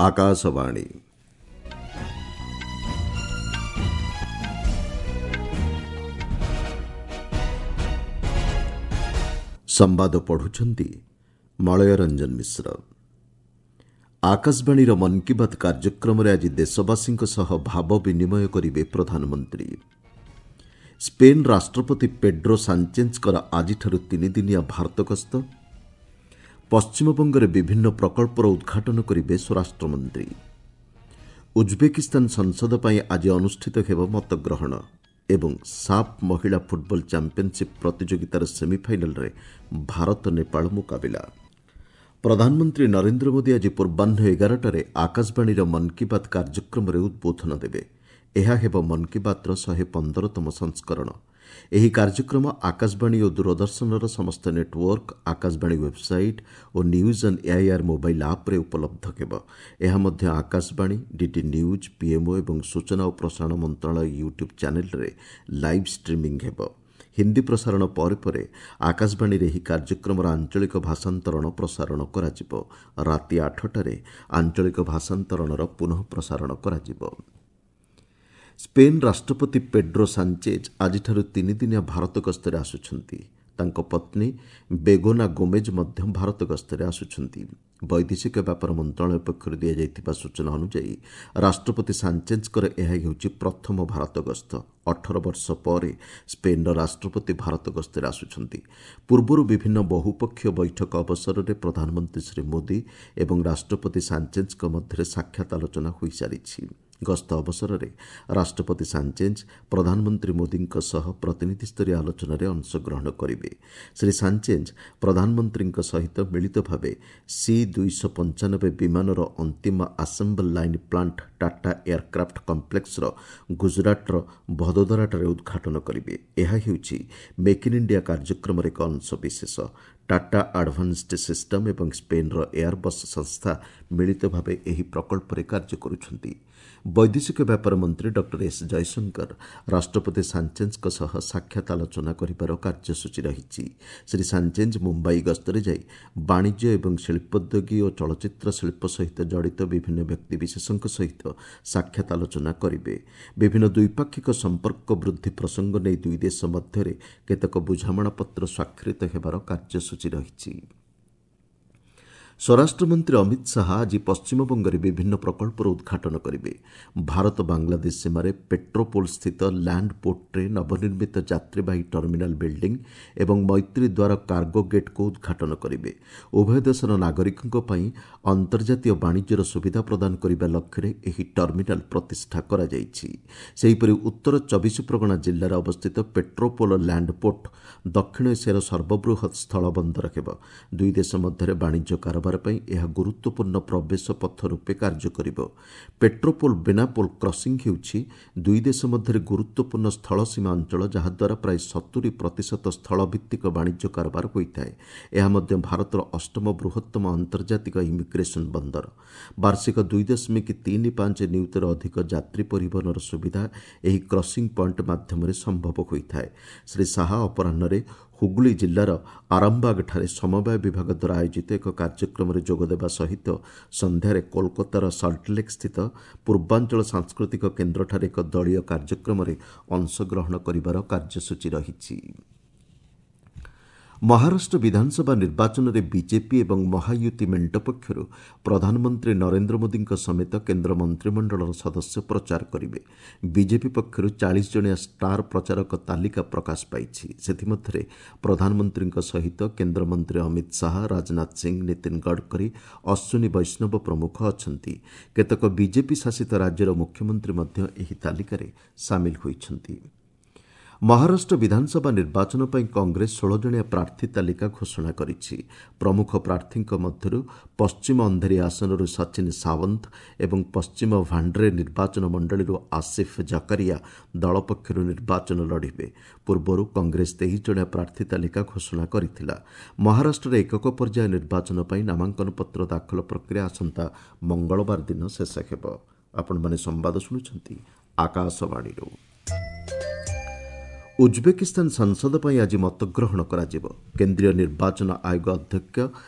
ଆକାଶବାଣୀ। ସମ୍ବାଦ ପଢ଼ୁଛନ୍ତି ମଳୟ ରଞ୍ଜନ ମିଶ୍ର। ଆକାଶବାଣୀର ମନ୍ କି ବାତ୍ କାର୍ଯ୍ୟକ୍ରମରେ ଆଜି ଦେଶବାସୀଙ୍କ ସହ ଭାବ ବିନିମୟ କରିବେ ପ୍ରଧାନମନ୍ତ୍ରୀ। ସ୍ପେନ୍ ରାଷ୍ଟ୍ରପତି ପେଡ୍ରୋ ସାଞ୍ଚେଜ୍ଙ୍କର ଆଜିଠାରୁ ତିନିଦିନିଆ ଭାରତ ଗସ୍ତ। ପଶ୍ଚିମବଙ୍ଗରେ ବିଭିନ୍ନ ପ୍ରକଳ୍ପର ଉଦ୍ଘାଟନ କରିବେ ସ୍ୱରାଷ୍ଟ୍ରମନ୍ତ୍ରୀ। ଉଜ୍ବେକିସ୍ତାନ ସଂସଦ ପାଇଁ ଆଜି ଅନୁଷ୍ଠିତ ହେବ ମତଗ୍ରହଣ ଏବଂ ସାଫ୍ ମହିଳା ଫୁଟବଲ ଚାମ୍ପିୟନସିପ୍ ପ୍ରତିଯୋଗିତାର ସେମିଫାଇନାଲରେ ଭାରତ ନେପାଳ ମୁକାବିଲା। ପ୍ରଧାନମନ୍ତ୍ରୀ ନରେନ୍ଦ୍ର ମୋଦି ଆଜି ପୂର୍ବାହ୍ନ 11ଟାରେ ଆକାଶବାଣୀର ମନ୍ କି ବାତ୍ କାର୍ଯ୍ୟକ୍ରମରେ ଉଦ୍ବୋଧନ ଦେବେ। ଏହା ହେବ ମନ୍ କି ବାତ୍ର 115ତମ ସଂସ୍କରଣ। ଏହି କାର୍ଯ୍ୟକ୍ରମ ଆକାଶବାଣୀ ଓ ଦୂରଦର୍ଶନର ସମସ୍ତ network, Akashvani website O news on AIR mobile ଆପ୍ରେ ଉପଲବ୍ଧ ହେବ। ଏହା ମଧ୍ୟ ଆକାଶବାଣୀ, ଡିଡି ନ୍ୟୁଜ୍, ପିଏମ୍ଓ ଏବଂ ସୂଚନା ଓ ପ୍ରସାରଣ ମନ୍ତ୍ରଣାଳୟ ୟୁଟ୍ୟୁବ୍ ଚ୍ୟାନେଲ୍ରେ ଲାଇଭ୍ ଷ୍ଟ୍ରିମିଂ ହେବ। ହିନ୍ଦୀ ପ୍ରସାରଣ ପରେ ପରେ ଆକାଶବାଣୀରେ ଏହି କାର୍ଯ୍ୟକ୍ରମର ଆଞ୍ଚଳିକ ଭାଷାନ୍ତରଣ ପ୍ରସାରଣ କରାଯିବ। ରାତି 8ଟାରେ ଆଞ୍ଚଳିକ ଭାଷାନ୍ତରଣର ପୁନଃ ପ୍ରସାରଣ କରାଯିବ। ସ୍ପେନ୍ ରାଷ୍ଟ୍ରପତି ପେଡ୍ରୋ ସାଞ୍ଚେଜ୍ ଆଜିଠାରୁ ତିନିଦିନିଆ ଭାରତ ଗସ୍ତରେ ଆସୁଛନ୍ତି। ତାଙ୍କ ପତ୍ନୀ ବେଗୋନା ଗୋମେଜ୍ ମଧ୍ୟ ଭାରତ ଗସ୍ତରେ ଆସୁଛନ୍ତି। ବୈଦେଶିକ ବ୍ୟାପାର ମନ୍ତ୍ରଣାଳୟ ପକ୍ଷରୁ ଦିଆଯାଇଥିବା ସୂଚନା ଅନୁଯାୟୀ ରାଷ୍ଟ୍ରପତି ସାଞ୍ଚେଜ୍ଙ୍କର ଏହା ହେଉଛି ପ୍ରଥମ ଭାରତ ଗସ୍ତ। 18 ବର୍ଷ ପରେ ସ୍ପେନ୍ର ରାଷ୍ଟ୍ରପତି ଭାରତ ଗସ୍ତରେ ଆସୁଛନ୍ତି। ପୂର୍ବରୁ ବିଭିନ୍ନ ବହୁପକ୍ଷୀୟ ବୈଠକ ଅବସରରେ ପ୍ରଧାନମନ୍ତ୍ରୀ ଶ୍ରୀ ମୋଦି ଏବଂ ରାଷ୍ଟ୍ରପତି ସାଞ୍ଚେଜ୍ଙ୍କ ମଧ୍ୟରେ ସାକ୍ଷାତ ଆଲୋଚନା ହୋଇସାରିଛି। ଗସ୍ତ ଅବସରରେ ରାଷ୍ଟ୍ରପତି ସାଞ୍ଚେଜ୍ ପ୍ରଧାନମନ୍ତ୍ରୀ ମୋଦିଙ୍କ ସହ ପ୍ରତିନିଧିସ୍ତରୀୟ ଆଲୋଚନାରେ ଅଂଶଗ୍ରହଣ କରିବେ। ଶ୍ରୀ ସାଞ୍ଚେଜ୍ ପ୍ରଧାନମନ୍ତ୍ରୀଙ୍କ ସହିତ ମିଳିତ ଭାବେ ସି 295 ବିମାନର ଅନ୍ତିମ assembly line plant Tata aircraft କମ୍ପ୍ଲେକ୍ସର ଗୁଜରାଟର ଭଦୋଦରାଠାରେ ଉଦ୍ଘାଟନ କରିବେ। ଏହା ହେଉଛି ମେକ୍ ଇନ୍ ଇଣ୍ଡିଆ କାର୍ଯ୍ୟକ୍ରମର ଏକ ଅଂଶବିଶେଷ। ଟାଟା ଆଡଭାନ୍ସଡ୍ ସିଷ୍ଟମ୍ ଏବଂ ସ୍ପେନ୍ର ଏୟାରବସ୍ ସଂସ୍ଥା ମିଳିତ ଭାବେ ଏହି ପ୍ରକଳ୍ପରେ କାର୍ଯ୍ୟ କରୁଛନ୍ତି। ବୈଦେଶିକ ବ୍ୟାପାର ମନ୍ତ୍ରୀ ଡକ୍ଟର ଏସ୍ ଜୟଶଙ୍କର ରାଷ୍ଟ୍ରପତି ସାଞ୍ଚେଜ୍ଙ୍କ ସହ ସାକ୍ଷାତ ଆଲୋଚନା କରିବାର କାର୍ଯ୍ୟସୂଚୀ ରହିଛି। ଶ୍ରୀ ସାଞ୍ଚେଜ୍ ମୁମ୍ବାଇ ଗସ୍ତରେ ଯାଇ ବାଣିଜ୍ୟ ଏବଂ ଶିଳ୍ପୋଦ୍ୟୋଗୀ ଓ ଚଳଚ୍ଚିତ୍ର ଶିଳ୍ପ ସହିତ ଜଡ଼ିତ ବିଭିନ୍ନ ବ୍ୟକ୍ତିବିଶେଷଙ୍କ ସହିତ ସାକ୍ଷାତ ଆଲୋଚନା କରିବେ। ବିଭିନ୍ନ ଦ୍ୱିପାକ୍ଷିକ ସମ୍ପର୍କ ବୃଦ୍ଧି ପ୍ରସଙ୍ଗ ନେଇ ଦୁଇ ଦେଶ ମଧ୍ୟରେ କେତେକ ବୁଝାମଣାପତ୍ର ସ୍ୱାକ୍ଷରିତ ହେବାର କାର୍ଯ୍ୟସୂଚୀ ରହିଛି। ସ୍ୱରାଷ୍ଟ୍ରମନ୍ତ୍ରୀ ଅମିତ ଶାହା ଆଜି ପଶ୍ଚିମବଙ୍ଗରେ ବିଭିନ୍ନ ପ୍ରକଳ୍ପର ଉଦ୍ଘାଟନ କରିବେ। ଭାରତ ବାଂଲାଦେଶ ସୀମାରେ ପେଟ୍ରୋପୋଲ ସ୍ଥିତ ଲ୍ୟାଣ୍ଡ ପୋର୍ଟରେ ନବନିର୍ମିତ ଯାତ୍ରୀବାହୀ ଟର୍ମିନାଲ ବିଲ୍ଡିଂ ଏବଂ ମୈତ୍ରୀ ଦ୍ୱାର କାର୍ଗୋ ଗେଟ୍କୁ ଉଦ୍ଘାଟନ କରିବେ। ଉଭୟ ଦେଶର ନାଗରିକଙ୍କ ପାଇଁ ଅନ୍ତର୍ଜାତୀୟ ବାଣିଜ୍ୟର ସୁବିଧା ପ୍ରଦାନ କରିବା ଲକ୍ଷ୍ୟରେ ଏହି ଟର୍ମିନାଲ ପ୍ରତିଷ୍ଠା କରାଯାଇଛି। ସେହିପରି ଉତ୍ତର 24 ପ୍ରଗଣା ଜିଲ୍ଲାରେ ଅବସ୍ଥିତ ପେଟ୍ରୋପୋଲ ଲ୍ୟାଣ୍ଡ ପୋର୍ଟ ଦକ୍ଷିଣ ଏସିଆର ସର୍ବବୃହତ୍ ସ୍ଥଳ ବନ୍ଦର ହେବ। ଦୁଇ ଦେଶ ମଧ୍ୟରେ ବାଣିଜ୍ୟ କାରବାର ପାଇଁ ଏହା ଗୁରୁତ୍ୱପୂର୍ଣ୍ଣ ପ୍ରବେଶ ପଥ ରୂପେ କାର୍ଯ୍ୟ କରିବ। ପେଟ୍ରୋପୋଲ ବେନାପୋଲ କ୍ରସିଂ ହେଉଛି ଦୁଇ ଦେଶ ମଧ୍ୟରେ ଗୁରୁତ୍ୱପୂର୍ଣ୍ଣ ସ୍ଥଳ ସୀମା ଅଞ୍ଚଳ, ଯାହାଦ୍ୱାରା ପ୍ରାୟ 70% ସ୍ଥଳଭିତ୍ତିକ ବାଣିଜ୍ୟ କାରବାର ହୋଇଥାଏ। ଏହା ମଧ୍ୟ ଭାରତର ଅଷ୍ଟମ ବୃହତ୍ତମ ଆନ୍ତର୍ଜାତିକ ଇମିଗ୍ରେସନ ବନ୍ଦର। ବାର୍ଷିକ 2.35 ନିୟୁତରୁ ଅଧିକ ଯାତ୍ରୀ ପରିବହନର ସୁବିଧା ଏହି କ୍ରସିଂ ପଏଣ୍ଟ ମାଧ୍ୟମରେ ସମ୍ଭବ ହୋଇଥାଏ। ଶ୍ରୀ ଶାହା ଅପରାହ୍ନରେ ହୁଗୁଳି ଜିଲ୍ଲାର ଆରାମବାଗଠାରେ ସମବାୟ ବିଭାଗ ଦ୍ୱାରା ଆୟୋଜିତ ଏକ କାର୍ଯ୍ୟକ୍ରମରେ ଯୋଗଦେବା ସହିତ ସନ୍ଧ୍ୟାରେ କୋଲକାତାର ସଲ୍ଟଲେକ୍ ସ୍ଥିତ ପୂର୍ବାଞ୍ଚଳ ସାଂସ୍କୃତିକ କେନ୍ଦ୍ରଠାରେ ଏକ ଦଳୀୟ କାର୍ଯ୍ୟକ୍ରମରେ ଅଂଶଗ୍ରହଣ କରିବାର କାର୍ଯ୍ୟସୂଚୀ ରହିଛି। ମହାରାଷ୍ଟ୍ର ବିଧାନସଭା ନିର୍ବାଚନରେ ବିଜେପି ଏବଂ ମହାୟୁତି ମେଣ୍ଟ ପକ୍ଷରୁ ପ୍ରଧାନମନ୍ତ୍ରୀ ନରେନ୍ଦ୍ର ମୋଦିଙ୍କ ସମେତ କେନ୍ଦ୍ର ମନ୍ତ୍ରିମଣ୍ଡଳର ସଦସ୍ୟ ପ୍ରଚାର କରିବେ। ବିଜେପି ପକ୍ଷରୁ 40 ଜଣିଆ ଷ୍ଟାର ପ୍ରଚାରକ ତାଲିକା ପ୍ରକାଶ ପାଇଛି। ସେଥିମଧ୍ୟରେ ପ୍ରଧାନମନ୍ତ୍ରୀଙ୍କ ସହିତ କେନ୍ଦ୍ରମନ୍ତ୍ରୀ ଅମିତ ଶାହା, ରାଜନାଥ ସିଂ, ନୀତିନ ଗଡ଼କରୀ, ଅଶ୍ୱିନୀ ବୈଷ୍ଣବ ପ୍ରମୁଖ ଅଛନ୍ତି। କେତେକ ବିଜେପି ଶାସିତ ରାଜ୍ୟର ମୁଖ୍ୟମନ୍ତ୍ରୀ ମଧ୍ୟ ଏହି ତାଲିକାରେ ସାମିଲ ହୋଇଛନ୍ତି। ମହାରାଷ୍ଟ୍ର ବିଧାନସଭା ନିର୍ବାଚନ ପାଇଁ କଂଗ୍ରେସ 16 ଜଣିଆ ପ୍ରାର୍ଥୀ ତାଲିକା ଘୋଷଣା କରିଛି। ପ୍ରମୁଖ ପ୍ରାର୍ଥୀଙ୍କ ମଧ୍ୟରୁ ପଶ୍ଚିମ ଅନ୍ଧେରୀ ଆସନରୁ ସଚିନ ସାୱନ୍ତ ଏବଂ ପଶ୍ଚିମ ଭାଣ୍ଡ୍ରେ ନିର୍ବାଚନ ମଣ୍ଡଳୀରୁ ଆସିଫ ଜକରିଆ ଦଳ ପକ୍ଷରୁ ନିର୍ବାଚନ ଲଢ଼ିବେ। ପୂର୍ବରୁ କଂଗ୍ରେସ 23 ଜଣିଆ ପ୍ରାର୍ଥୀ ତାଲିକା ଘୋଷଣା କରିଥିଲା। ମହାରାଷ୍ଟ୍ରରେ ଏକକ ପର୍ଯ୍ୟାୟ ନିର୍ବାଚନ ପାଇଁ ନାମାଙ୍କନପତ୍ର ଦାଖଲ ପ୍ରକ୍ରିୟା ଆସନ୍ତା ମଙ୍ଗଳବାର ଦିନ ଶେଷ ହେବ। ଆପଣମାନେ ସମ୍ବାଦ ଶୁଣୁଛନ୍ତି ଆକାଶବାଣୀରୁ। ଉଜ୍ବେକିସ୍ତାନ ସଂସଦ ପାଇଁ ଆଜି ମତଗ୍ରହଣ କରାଯିବ। କେନ୍ଦ୍ରୀୟ ନିର୍ବାଚନ ଆୟୋଗ ଅଧ୍ୟକ୍ଷ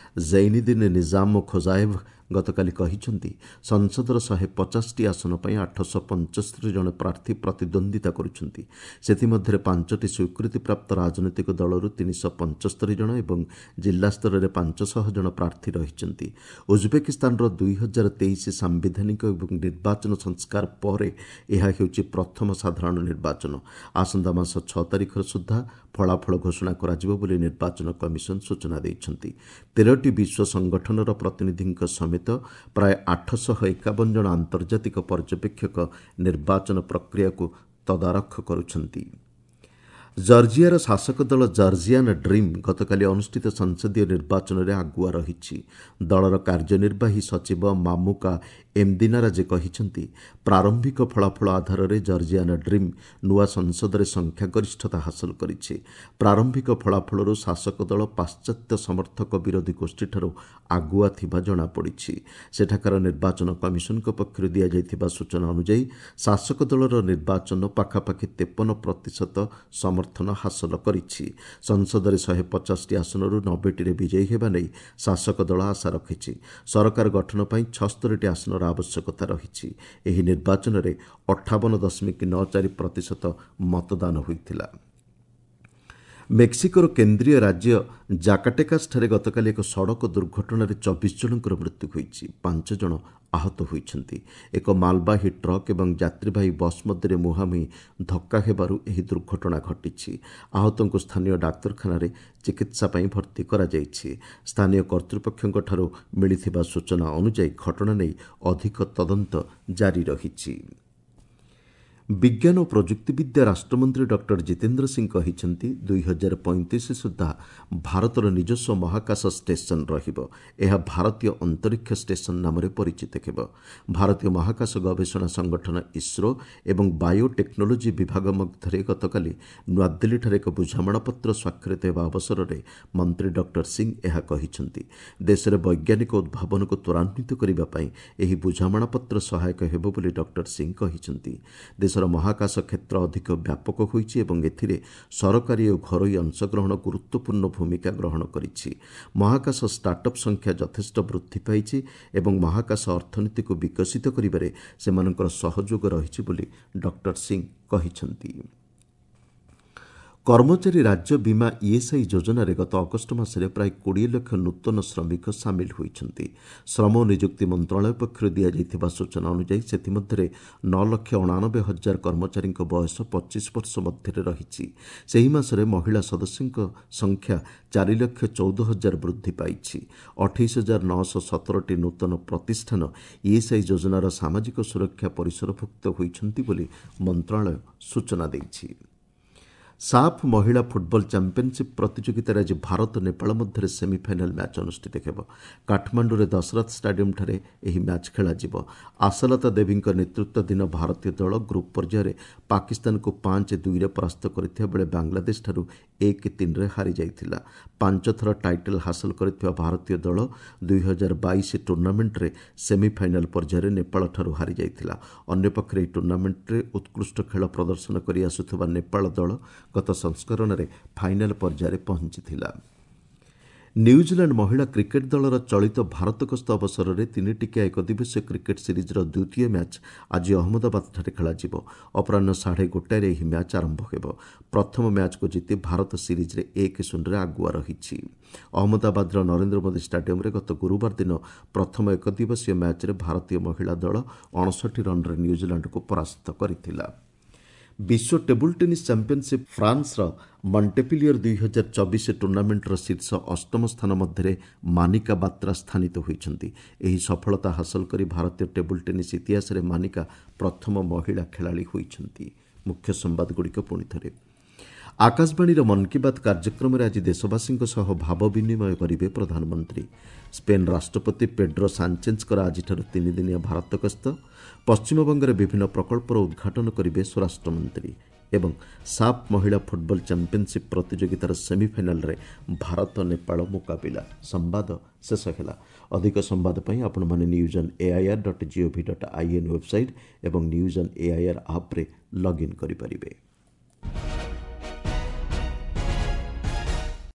ଜୈନିଦିନ ନିଜାମ ଖୋଜାଏଭ ଗତକାଲି କହିଛନ୍ତି, ସଂସଦର 150ଟି ଆସନ ପାଇଁ 875 ଜଣ ପ୍ରାର୍ଥୀ ପ୍ରତିଦ୍ୱନ୍ଦ୍ୱିତା କରୁଛନ୍ତି। ସେଥିମଧ୍ୟରେ 5ଟି ସ୍ୱୀକୃତିପ୍ରାପ୍ତ ରାଜନୈତିକ ଦଳରୁ 375 ଜଣ ଏବଂ ଜିଲ୍ଲାସ୍ତରରେ 500 ଜଣ ପ୍ରାର୍ଥୀ ରହିଛନ୍ତି। ଉଜବେକିସ୍ତାନର 2023 ସାମ୍ବିଧାନିକ ଏବଂ ନିର୍ବାଚନ ସଂସ୍କାର ପରେ ଏହା ହେଉଛି ପ୍ରଥମ ସାଧାରଣ ନିର୍ବାଚନ। ଆସନ୍ତା ମାସ 6 ତାରିଖ ସୁଦ୍ଧା ଫଳାଫଳ ଘୋଷଣା କରାଯିବ ବୋଲି ନିର୍ବାଚନ କମିଶନ ସୂଚନା ଦେଇଛନ୍ତି। 13ଟି ବିଶ୍ୱ ସଂଗଠନର ପ୍ରତିନିଧିଙ୍କ ସମେତ ପ୍ରାୟ 851 ଜଣ ଆନ୍ତର୍ଜାତିକ ପର୍ଯ୍ୟବେକ୍ଷକ ନିର୍ବାଚନ ପ୍ରକ୍ରିୟାକୁ ତଦାରଖ କରୁଛନ୍ତି। ଜର୍ଜିଆର ଶାସକ ଦଳ ଜର୍ଜିଆନ୍ ଡ୍ରିମ୍ ଗତକାଲି ଅନୁଷ୍ଠିତ ସଂସଦୀୟ ନିର୍ବାଚନରେ ଆଗୁଆ ରହିଛି। ଦଳର କାର୍ଯ୍ୟନିର୍ବାହୀ ସଚିବ ମାମୁକା ଏମ୍ଦିନାରାଜେ କହିଛନ୍ତି, ପ୍ରାରମ୍ଭିକ ଫଳାଫଳ ଆଧାରରେ ଜର୍ଜିଆନ୍ ଡ୍ରିମ୍ ନୂଆ ସଂସଦରେ ସଂଖ୍ୟାଗରିଷ୍ଠତା ହାସଲ କରିଛି। ପ୍ରାରମ୍ଭିକ ଫଳାଫଳରୁ ଶାସକ ଦଳ ପାଶ୍ଚାତ୍ୟ ସମର୍ଥକ ବିରୋଧୀ ଗୋଷ୍ଠୀଠାରୁ ଆଗୁଆ ଥିବା ଜଣାପଡ଼ିଛି। ସେଠାକାର ନିର୍ବାଚନ କମିଶନଙ୍କ ପକ୍ଷରୁ ଦିଆଯାଇଥିବା ସୂଚନା ଅନୁଯାୟୀ ଶାସକ ଦଳର ନିର୍ବାଚନ ପାଖାପାଖି 53% ସମର୍ଥନ ହାସଲ କରିଛି। ସଂସଦରେ 150ଟି ଆସନରୁ 90ଟିରେ ବିଜୟୀ ହେବା ନେଇ ଶାସକ ଦଳ ଆଶା ରଖିଛି। ସରକାର ଗଠନ ପାଇଁ 76ଟି ଆସନର ଆବଶ୍ୟକତା ରହିଛି। ଏହି ନିର୍ବାଚନରେ 58.94% ମତଦାନ ହୋଇଥିଲା। ମେକ୍ସିକୋର କେନ୍ଦ୍ରୀୟ ରାଜ୍ୟ ଜାକାଟେକାସଠାରେ ଗତକାଲି ଏକ ସଡ଼କ ଦୁର୍ଘଟଣାରେ 24 ଜଣଙ୍କର ମୃତ୍ୟୁ ହୋଇଛି, 5 ଜଣ ଆହତ ହୋଇଛନ୍ତି। ଏକ ମାଲବାହୀ ଟ୍ରକ୍ ଏବଂ ଯାତ୍ରୀବାହୀ ବସ୍ ମଧ୍ୟରେ ମୁହାଁମୁହିଁ ଧକ୍କା ହେବାରୁ ଏହି ଦୁର୍ଘଟଣା ଘଟିଛି। ଆହତଙ୍କୁ ସ୍ଥାନୀୟ ଡାକ୍ତରଖାନାରେ ଚିକିତ୍ସା ପାଇଁ ଭର୍ତ୍ତି କରାଯାଇଛି। ସ୍ଥାନୀୟ କର୍ତ୍ତୃପକ୍ଷଙ୍କଠାରୁ ମିଳିଥିବା ସୂଚନା ଅନୁଯାୟୀ ଘଟଣା ନେଇ ଅଧିକ ତଦନ୍ତ ଜାରି ରହିଛି। ବିଜ୍ଞାନ ଓ ପ୍ରଯୁକ୍ତିବିଦ୍ୟା ରାଷ୍ଟ୍ରମନ୍ତ୍ରୀ ଡକ୍ଟର ଜିତେନ୍ଦ୍ର ସିଂ କହିଛନ୍ତି, 2035 ସୁଦ୍ଧା ଭାରତର ନିଜସ୍ୱ ମହାକାଶ ଷ୍ଟେସନ ରହିବ। ଏହା ଭାରତୀୟ ଅନ୍ତରୀକ୍ଷ ଷ୍ଟେସନ ନାମରେ ପରିଚିତ ହେବ। ଭାରତୀୟ ମହାକାଶ ଗବେଷଣା ସଂଗଠନ ଇସ୍ରୋ ଏବଂ ବାୟୋଟେକ୍ନୋଲୋଜି ବିଭାଗ ମଧ୍ୟରେ ଗତକାଲି ନୂଆଦିଲ୍ଲୀଠାରେ ଏକ ବୁଝାମଣାପତ୍ର ସ୍ୱାକ୍ଷରିତ ହେବା ଅବସରରେ ମନ୍ତ୍ରୀ ଡକ୍ଟର ସିଂ ଏହା କହିଛନ୍ତି। ଦେଶରେ ବୈଜ୍ଞାନିକ ଉଦ୍ଭାବନକୁ ତ୍ୱରାନ୍ୱିତ କରିବା ପାଇଁ ଏହି ବୁଝାମଣାପତ୍ର ସହାୟକ ହେବ ବୋଲି ଡକ୍ଟର ସିଂ କହିଛନ୍ତି। ଦେଶର ମହାକାଶ କ୍ଷେତ୍ର ଅଧିକ ବ୍ୟାପକ ହୋଇଛି ଏବଂ ଏଥିରେ ସରକାରୀ ଓ ଘରୋଇ ଅଂଶଗ୍ରହଣ ଗୁରୁତ୍ୱପୂର୍ଣ୍ଣ ଭୂମିକା ଗ୍ରହଣ କରିଛି। ମହାକାଶ ଷ୍ଟାର୍ଟଅପ୍ ସଂଖ୍ୟା ଯଥେଷ୍ଟ ବୃଦ୍ଧି ପାଇଛି ଏବଂ ମହାକାଶ ଅର୍ଥନୀତିକୁ ବିକଶିତ କରିବାରେ ସେମାନଙ୍କର ସହଯୋଗ ରହିଛି ବୋଲି ଡକ୍ଟର ସିଂ କହିଛନ୍ତି। କର୍ମଚାରୀ ରାଜ୍ୟ ବୀମା ଇଏସ୍ଆଇ ଯୋଜନାରେ ଗତ ଅଗଷ୍ଟ ମାସରେ ପ୍ରାୟ 20 ଲକ୍ଷ ନୂତନ ଶ୍ରମିକ ସାମିଲ ହୋଇଛନ୍ତି। ଶ୍ରମ ନିଯୁକ୍ତି ମନ୍ତ୍ରଣାଳୟ ପକ୍ଷରୁ ଦିଆଯାଇଥିବା ସୂଚନା ଅନୁଯାୟୀ ସେଥିମଧ୍ୟରେ 9,89,000 କର୍ମଚାରୀଙ୍କ ବୟସ 25 ବର୍ଷ ମଧ୍ୟରେ ରହିଛି। ସେହି ମାସରେ ମହିଳା ସଦସ୍ୟଙ୍କ ସଂଖ୍ୟା 4,14,000 ବୃଦ୍ଧି ପାଇଛି। 28,917ଟି ନୂତନ ପ୍ରତିଷ୍ଠାନ ଇଏସ୍ଆଇ ଯୋଜନାର ସାମାଜିକ ସୁରକ୍ଷା ପରିସରଭୁକ୍ତ ହୋଇଛନ୍ତି ବୋଲି ମନ୍ତ୍ରଣାଳୟ ସୂଚନା ଦେଇଛି। ସାଫ୍ ମହିଳା ଫୁଟବଲ ଚାମ୍ପିୟନସିପ୍ ପ୍ରତିଯୋଗିତାରେ ଆଜି ଭାରତ ନେପାଳ ମଧ୍ୟରେ ସେମିଫାଇନାଲ୍ ମ୍ୟାଚ୍ ଅନୁଷ୍ଠିତ ହେବ। କାଠମାଣ୍ଡୁରେ ଦଶରଥ ଷ୍ଟାଡିୟମ୍ଠାରେ ଏହି ମ୍ୟାଚ୍ ଖେଳାଯିବ। ଆଶାଲତା ଦେବୀଙ୍କ ନେତୃତ୍ୱାଧୀନ ଭାରତୀୟ ଦଳ ଗ୍ରୁପ୍ ପର୍ଯ୍ୟାୟରେ ପାକିସ୍ତାନକୁ 5-2ରେ ପରାସ୍ତ କରିଥିବା ବେଳେ ବାଂଲାଦେଶଠାରୁ 1-3ରେ ହାରିଯାଇଥିଲା। 5 ଥର ଟାଇଟଲ୍ ହାସଲ କରିଥିବା ଭାରତୀୟ ଦଳ 2022 ଟୁର୍ଣ୍ଣାମେଣ୍ଟରେ ସେମିଫାଇନାଲ୍ ପର୍ଯ୍ୟାୟରେ ନେପାଳଠାରୁ ହାରିଯାଇଥିଲା। ଅନ୍ୟପକ୍ଷରେ ଏହି ଟୁର୍ଣ୍ଣାମେଣ୍ଟରେ ଉତ୍କୃଷ୍ଟ ଖେଳ ପ୍ରଦର୍ଶନ କରି ଆସୁଥିବା ନେପାଳ ଦଳ ଗତ ସଂସ୍କରଣରେ ଫାଇନାଲ୍ ପର୍ଯ୍ୟାୟରେ ପହଞ୍ଚିଥିଲା। ନ୍ୟୁଜିଲାଣ୍ଡ ମହିଳା କ୍ରିକେଟ୍ ଦଳର ଚଳିତ ଭାରତ ଗସ୍ତ ଅବସରରେ 3ଟିକିଆ ଏକଦିବସୀୟ କ୍ରିକେଟ୍ ସିରିଜ୍ର ଦ୍ୱିତୀୟ ମ୍ୟାଚ୍ ଆଜି ଅହମ୍ମଦାବାଦଠାରେ ଖେଳାଯିବ। ଅପରାହ୍ନ 1:30ରେ ଏହି ମ୍ୟାଚ୍ ଆରମ୍ଭ ହେବ। ପ୍ରଥମ ମ୍ୟାଚ୍କୁ ଜିତି ଭାରତ ସିରିଜ୍ରେ 1-0ରେ ଆଗୁଆ ରହିଛି। ଅହମ୍ମଦାବାଦର ନରେନ୍ଦ୍ର ମୋଦି ଷ୍ଟାଡିୟମ୍ରେ ଗତ ଗୁରୁବାର ଦିନ ପ୍ରଥମ ଏକଦିବସୀୟ ମ୍ୟାଚ୍ରେ ଭାରତୀୟ ମହିଳା ଦଳ 59 ରନ୍ରେ ନ୍ୟୁଜିଲାଣ୍ଡକୁ ପରାସ୍ତ କରିଥିଲା। ବିଶ୍ୱ ଟେବୁଲ୍ ଟେନିସ୍ ଚାମ୍ପିୟନସିପ୍ ଫ୍ରାନ୍ସର ମଣ୍ଟେପିଲିୟର 2024 ଟୁର୍ଣ୍ଣାମେଣ୍ଟର ଶୀର୍ଷ ଅଷ୍ଟମ ସ୍ଥାନ ମଧ୍ୟରେ ମାନିକା ବାତ୍ରା ସ୍ଥାନିତ ହୋଇଛନ୍ତି। ଏହି ସଫଳତା ହାସଲ କରି ଭାରତୀୟ ଟେବୁଲ୍ ଟେନିସ୍ ଇତିହାସରେ ମାନିକା ପ୍ରଥମ ମହିଳା ଖେଳାଳି ହୋଇଛନ୍ତି। ମୁଖ୍ୟ ସମ୍ବାଦଗୁଡ଼ିକ ପୁଣି ଥରେ। ଆକାଶବାଣୀର ମନ୍ କି ବାତ୍ କାର୍ଯ୍ୟକ୍ରମରେ ଆଜି ଦେଶବାସୀଙ୍କ ସହ ଭାବ ବିନିମୟ କରିବେ ପ୍ରଧାନମନ୍ତ୍ରୀ। ସ୍ପେନ୍ ରାଷ୍ଟ୍ରପତି ପେଡ୍ରୋ ସାଞ୍ଚେଜ୍ଙ୍କର ଆଜିଠାରୁ 3 ଦିନିଆ ଭାରତ ଗସ୍ତ। ପଶ୍ଚିମବଙ୍ଗରେ ବିଭିନ୍ନ ପ୍ରକଳ୍ପର ଉଦ୍ଘାଟନ କରିବେ ସ୍ୱରାଷ୍ଟ୍ରମନ୍ତ୍ରୀ। ଏବଂ ସାଫ୍ ମହିଳା ଫୁଟବଲ ଚାମ୍ପିୟନସିପ୍ ପ୍ରତିଯୋଗିତାର ସେମିଫାଇନାଲ୍ରେ ଭାରତ ନେପାଳ ମୁକାବିଲା। ସମ୍ବାଦ ଶେଷ ହେଲା। ଅଧିକ ସମ୍ବାଦ ପାଇଁ ଆପଣମାନେ news on AIR.gov.in website ଏବଂ ନ୍ୟୁଜ୍ ଅନ୍ ଏଆଇଆର୍ ଆପ୍ରେ ଲଗ୍ଇନ୍ କରିପାରିବେ।